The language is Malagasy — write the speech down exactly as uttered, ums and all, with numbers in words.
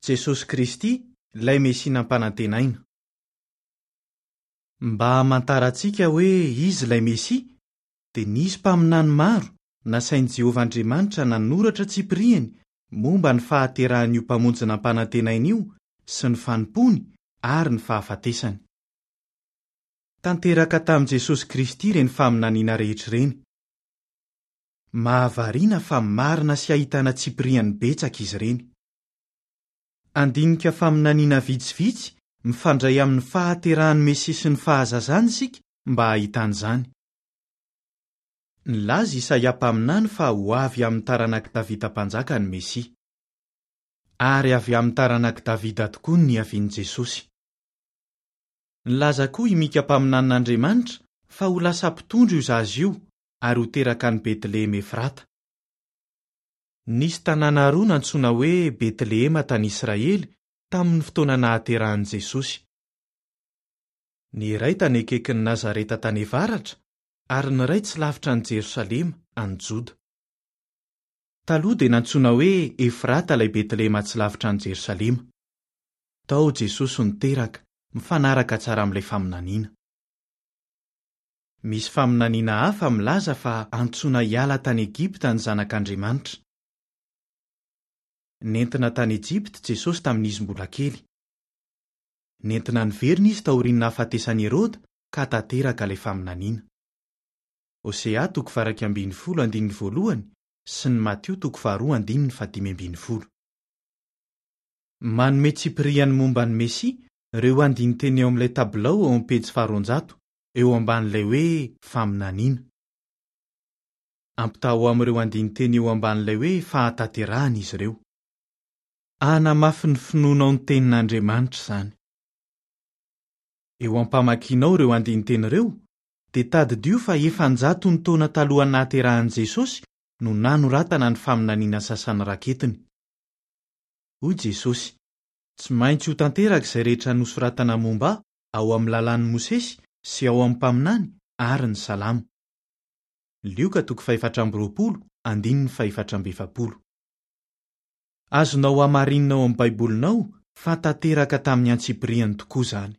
Jesosy Kristy, ilay Mesia nampanantenaina. Mba hamantarantsika hoe izy ilay Mesia, dia nisy mpaminany maro nasain'i Jehovah Andriamanitra nanoratra tsipiriany momba ny fahaterahan'io mpamonjy nampanantenaina io sy ny fanompoany ary ny fahafatesany. Tanteraka tamin'i Jesosy Kristy ireny faminaniana rehetra ireny. Mahavariana fa marina sy ahitana tsipiriany betsaka izy ireny. Handinika faminaniana vitsivitsy mifandray amin'ny fahaterahan'ny Mesia sy ny fahazazany isika mba hahitana izany. Nilaza Isaia mpaminany fa ho avy amin'ny taranak'i Davida mpanjaka ny Mesia. Ary avy amin'ny taranak'i Davida tokoa ny niavian'i Jesosy. Nilaza koa i Mika mpaminanin'Andriamanitra fa ho lasa mpitondra io zaza io ary ho teraka any Betlehema Efrata. Nisy tanàna roa nantsoina hoe Betlehema tany Israely tamin'ny fotoana nahaterahan'i Jesosy. Ny iray tany akaikin'i Nazareta tany avaratra ary ny iray tsy lavitra an'i Jerosalema any Joda. Taloha dia nantsoina hoe Efrata ilay Betlehema tsy lavitra an'i Jerosalema. Tao Jesosy no teraka, mifanaraka tsara amin'ilay faminaniana. Misy faminaniana hafa milaza fa antsoina hiala tany Egypta ny zanak'Andriamanitra. Nentina tany Egypta Jesosy tamin'izy mbola kely. Nentina niverina izy taorian'ny nahafatesan'i Heroda ka tanteraka ilay faminaniana. Hosea toko faha-iraika ambin'ny folo andininy voalohany sy ny Matio toko faharoa andininy fahadimy ambin'ny folo. Manome tsipiriany momba ny Mesia ireo andinin-teny eo amin'ilay tabilao eo amin'ny pejy faharoanjato eo ambanin'ilay hoe faminaniana. Ampitahao amin'ireo andinin-teny eo ambanin'ilay hoe fahatanterahana izy ireo. Hanamafy ny finoanao ny tenin'Andriamanitra izany. Eo am-pamakianao ireo andinin-teny ireo, dia tadidio fa efa-jato ny taona talohan'ny nahaterahan'i Jesosy no nanoratana ny faminaniana sasany raketiny. Hoy Jesosy: "Tsy maintsy ho tanteraka izay rehetra nosoratana momba ahy ao amin'ny lalàn'i Mosesy sy ao amin'ny mpaminany ary ny Salamo." Lioka toko fahefatra amby roapolo andininy fahefatra amby efapolo. Azonao hamarinina ao amin'ny Baibolinao fa tanteraka tamin'ny antsipiriany tokoa izany.